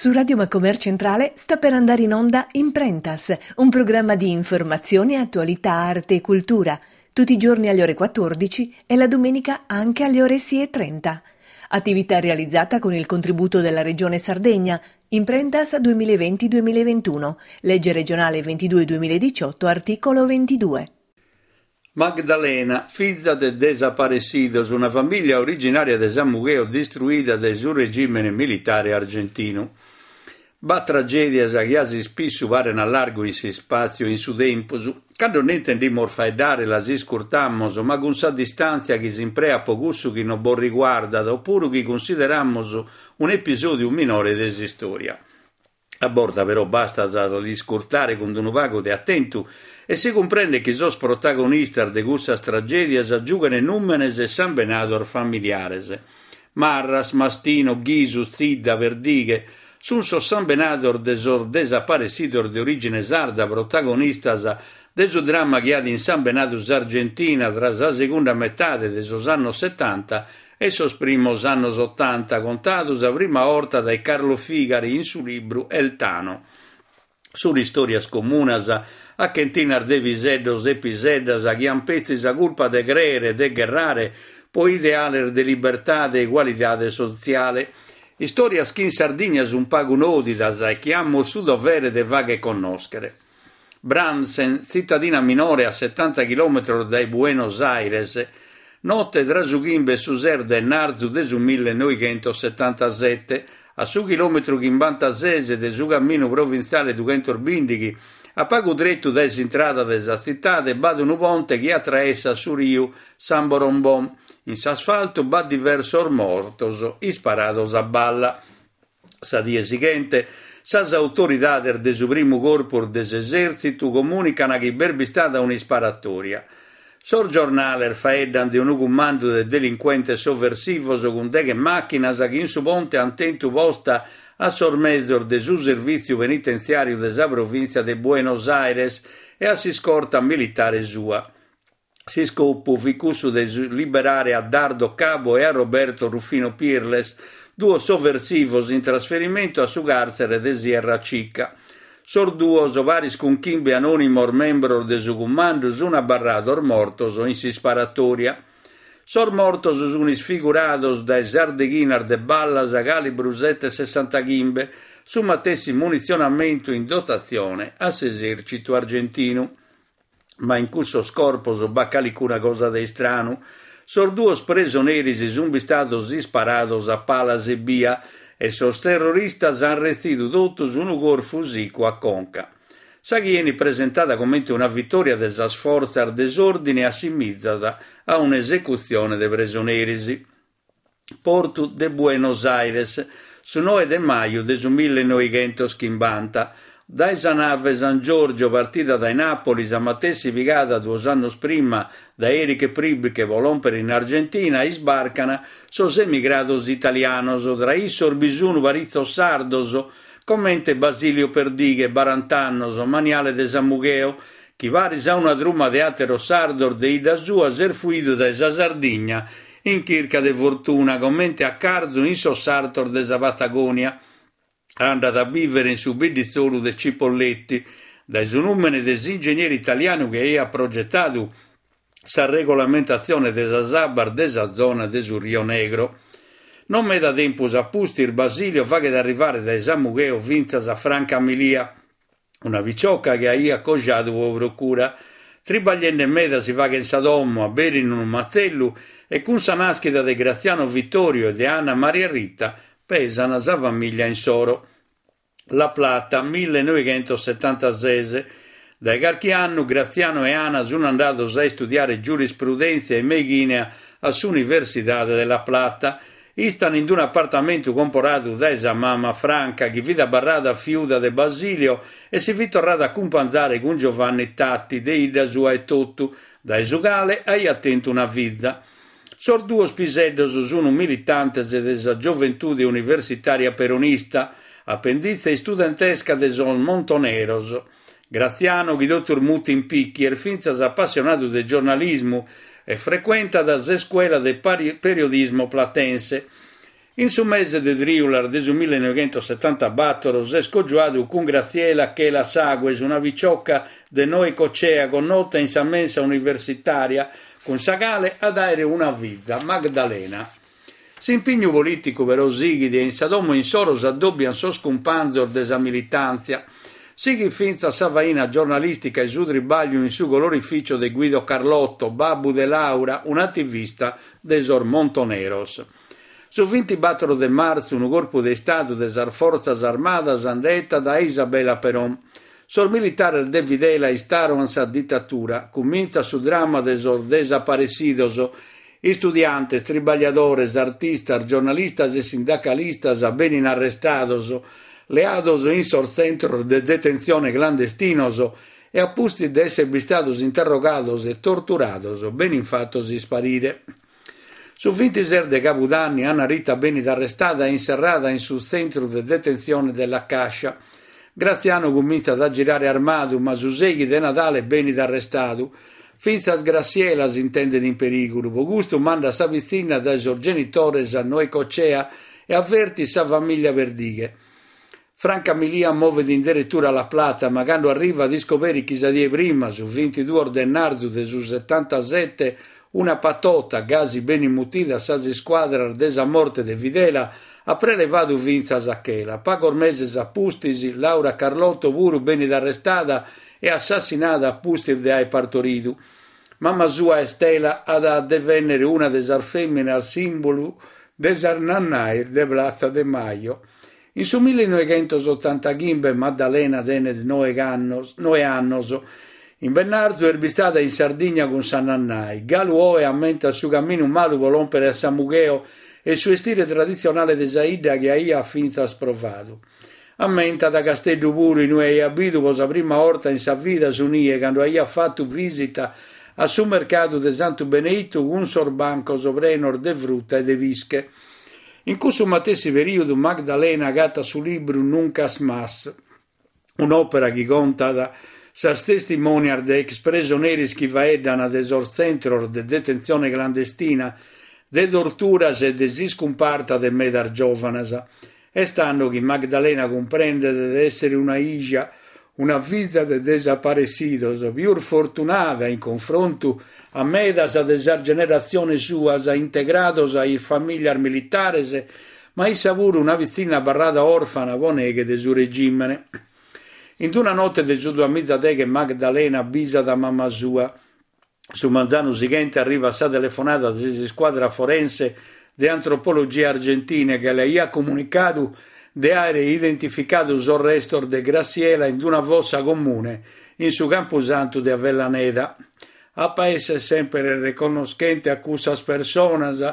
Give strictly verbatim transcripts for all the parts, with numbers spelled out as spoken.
Su Radio Macomer Centrale sta per andare in onda Imprentas, un programma di informazione, attualità, arte e cultura, tutti i giorni alle ore quattordici e la domenica anche alle ore sei e trenta. Attività realizzata con il contributo della Regione Sardegna, Imprentas duemilaventi duemilaventuno, legge regionale ventidue duemiladiciotto, articolo ventidue. Magdalena, fiza de desaparecidos, una famiglia originaria de Samugheo distruida dae su regime militare argentinu. B'at tragèdias chi a s'ispissu paren a largu in s'ispàtziu e in su tempus. Cando nd'intendimus faeddare las iscurtamus, ma cun sa distàntzia chi s'impreat pro cussu chi non bos riguardat opuru chi cunsideramus un'episòdiu minore de s'istòria. A bortas però bastat a l'iscurtare cun unu pagu de atentu e si cumprendet chi sos protagonistas de cussas tragèdias giughen nùmenes e sambenados familiares. Marras, Mastino, Ghisu, Zidda, Perdighe sunt sos sambenados de sos desaparessidos de orìgine sarda protagonistas de su dramma chi at insambenadu s'Argentina tra sa segunda metade de sos annos setanta e sos primos annos otanta, contadu sa prima 'orta dae Carlo Figari in su libru El Tano. Sunt istòrias comunas a chentinas de piseddos e piseddas chi an petzi sa culpa de crèere e de gherrare pro ideales de libertade e egualidade sotziale. Istòrias chi in Sardigna sunt pagu nòdidas e chi amus su dovere de fàghere connòschere. Brandsen, tzitadina minore a setanta chilòmetros dae Buenos Aires, note tra su chimbe e su ses de martzu de su millenoighentos setantasete, a su chilòmetru chimbantases de su caminu provintziale dughentos bìndighi, a pagu tretu dae s'intrada de sa tzitade, b'at unu ponte chi atraessat su riu Samborombon. In s'asfaltu b'at diversos mortos isparados a balla. Sa die sighente, sas autoridades de su primu corpus de s'esèrtzitu comunican chi b'est bistada un'isparatòria. Sos giornales faeddan de unu cumandu de delincuentes sovversivos cun deghe màchinas chi in su ponte ant tentu posta a sos mezos de su servìtziu penitentziàriu de sa provìntzia de Buenos Aires e a s'iscorta militare sua. S'iscopu fit cussu de liberare a Dardo Cabo e a Roberto Rufino Pirles, duos sovversivos in trasferimentu a su càrtzere de Sierra Chica. Sos duos, paris cun chimbe anònimos membros de su cumandu, sunt abarrados mortos in s'isparatòria. Sos mortos sunt isfigurados dae sas deghinas de ballas calibru sete sessantachimbe, su matessi munitzionamentu in dotatzione a s'esèrtzitu argentinu. Ma in cussos corpos b'at calicuna cosa de istranu. Sos duos presoneris sunt bistados isparados a palas ebbia e sos terroristas ant retzidu totus unu corfu sicu a conca. Sa chi 'enit presentada comente una vitòria de sas fortzas de s'òrdine assimizat a un'esecutzione de presoneris. Portu de Buenos Aires, su noe de maju de su millenoighentos chimbanta. Dae sa nave San Giorgio, partida dae Napoli, sa matessi pigada duos annos prima dae Erich Priebke pro lòmpere in Argentina, isbarcan sos emigrados italianos. Tra issos bi sun paritzos sardos, comente Basilio Perdighe, barant'annos, maniale de Samugheo, chi paris a una truma de àteros sardos de 'idda sua s'est fuidu dae sa Sardigna in chirca de fortuna, comente a carzu in sos sartos de sa Patagonia. Andat a bìvere in su bidditzolu de Cipolletti, dae su nùmene de s'ingegneri italianu chi aiat progetadu sa regolamentatzione de sas abbas de sa zona de su Rio Negro. Non meda tempus a pustis Basilio faghet arrivare dae Samugheo fintzas a Franca Milia, una picioca chi aiat cojadu pro procura. Tribagliende meda si faghet sa domo, aberin unu matzellu e cun sa nàschida de Graziano Vittorio e de Anna Maria Rita pesan sa famiglia insoro. La Plata, millenoighentos setantases. Dae carchi annu Graziano e Ana sunt andados a istudiare giurisprudèntzia e meighina a s'Universidade de La Plata. Istan in un'apartamentu comporadu dae sa mama Franca, chi fit abarrada fiuda de Basilio e si fit torrada a cumpanzare cun Giovanni Tatti, de 'idda sua etotu, dae su cale aiat tentu una fiza. Sos duos piseddos sunt militantes de sa Gioventude Universitària Peronista, apenditze istudentesca de sos Montoneros. Graziano, chi totus mutin Picchi, est fintzas apassionadu de giornalismu e frecuentat s'Escuela de Periodismo Platense. In su mese de Trìulas de su millenovechentosettantabattor s'est cojuadu cun Graziella Chela Sagues, una picciocca de Necochea connota in sa mensa universitària, cun sa cale at àere una fiza, Magdalena. S'impignu polìticu però sighit e in sa domo insoro s'addòbiant sos cumpanzos de sa militàntzia. Sighit fintzas sa faina giornalìstica e su tribagliu in su colorificio de Guido Carlotto, babbu de Laura, un'ativista de sos Montoneros. Su vintibattor de martzu unu corpu de Istadu de sas Fortzas Armadas nde 'ettat a Isabel Perón. Sos militares de Videla instaurant sa ditatura. Cumintzat su dramma de sos desaparessidos. Istudiantes, tribagliadores, artistas, giornalistas e sindacalistas benin arrestados, leados in sos tzentros de detentzione clandestinos e a pustis de esser bistados interrogados e torturados benin fatos isparire. Su vintises de Cabudanni Anna Rita benit arrestada e inserrada in su tzentru de detentzione de La Cascia. Graziano cumintzat a girare armadu, ma su seighi de Nadale benit arrestadu. Fintzas Graziella s'intendet in perìgulu, pro custu mandat sa pitzinna dae sos genitores a Necochea e avvertit sa famiglia Perdighe. Franca Milia movet in derettura a La Plata, ma cando arrivat iscoberit chi sa die prima, su vintiduos de ennarzu de su settantasette, una patota, gasi bene mutida sas iscuadras de sa morte de Videla, at prelevadu fintzas a Chela. Pagos meses a pustis, Laura Carlotto puru benit arrestada e assassinada a pustis de aer partoridu. Mama sua Estela at a devennere una de sas fèminas sìmbulu de sas nannais de Plaza de Mayo. In su millenovechentosottantachimbe Maddalena tenet noe annos, noe annos. In Bennarzu est bistada in Sardigna cun sa nannai. Galu oe ammentat su caminu malu pro lòmpere a Samugheo e su estire traditzionale de sa 'idda chi aiat fintzas provadu. Ammentat Casteddu puru, inue aiat bidu pro sa prima 'orta in sa vida su nie cando aiat fatu visita a su mercadu de Santu Beneitu cun sos bancos prenos de frutta e de pische. In cussu matessi perìodu Magdalena agatat su libru Nunca Más, un'òpera chi contat sas testimonias de ex presoneris chi faeddan de sos tzentros de detentzione clandestina, de torturas e de s'iscumparta de medas giòvanas. Est tando chi Magdalena cumprendet de èssere una 'ija, una fiza de desaparessidos, pius fortunada in confrontu a medas de sas generatziones suas integrados a is famìlias militares, ma issa puru una pitzinna abarrada òrfana pro neghe de su regìmene. In una note de su duamizadeghe Magdalena bisat a mama sua. Su manzanu sighente arrivat sa telefonada de s'iscuadra forense de antropologia argentina che le aiat comunicadu de àere identificadu sos restos de Graziella in una fossa comune in su Campusantu de Avellaneda. Apo a essere sempre reconnoschente a cussas personas,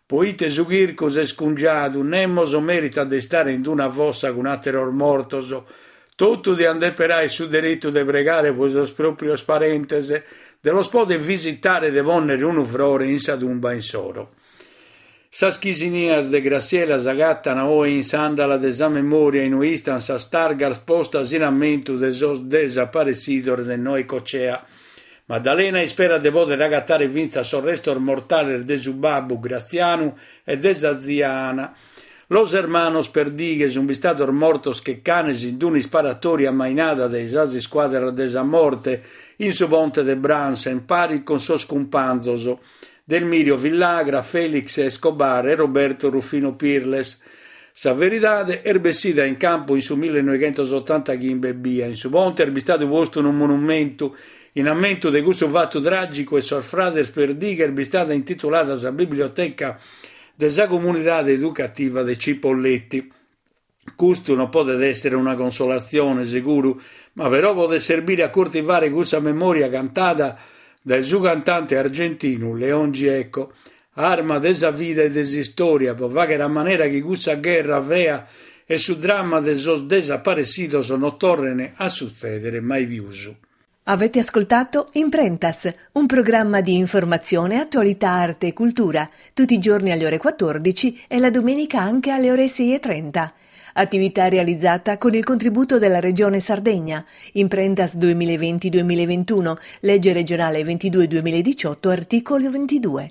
poite su chircu s'est cungiadu, nemos meritat de istare in una fossa cun àteros mortos. Totu diant dèpere àere su deretu de pregare pro sos pròprios parentes, de los poder visitare e de pònnere unu frore in sa tumba insoro. Sas chisinias de Graziella s'agattan oe in s'àndala de sa memòria inue istan sas targas postas in ammentu de sos desaparessidos de Necochea. Maddalena isperat de poder agatare fintzas sos restos mortales de su babbu Grazianu e de sa zia Ana. Los hermanos Perdighe sunt bistados mortos che canes in un'isparatòria ammainada dae sas iscuadras de sa morte in su ponte de Brandsen, pari cun sos cumpanzos Delmirio Villagra, Felix Escobar e Roberto Rufino Pirles. Sa veridade est bessida in campu in su millenovechentosottantachimbe ebbia. In su ponte est bistadu postu unu monumentu in ammentu de cussu fatu tràgicu e sos frades Perdighe est bistada intitulada sa biblioteca de sa comunidade educativa de Cipolletti. Custu non podet èssere una consolatzione, seguru, ma però podet serbire a coltivare cussa memoria cantada dae su cantante argentinu León Gieco, arma de sa vida e de s'istòria, pro fàghere a manera chi cussa gherra fea e su dramma de sos desaparessidos non torren a sutzèdere mai pius. Avete ascoltato Imprentas, un programma di informazione, attualità, arte e cultura, tutti i giorni alle ore quattordici e la domenica anche alle ore sei e trenta. Attività realizzata con il contributo della Regione Sardegna. Imprentas duemilaventi duemilaventuno, legge regionale ventidue duemiladiciotto, articolo ventidue.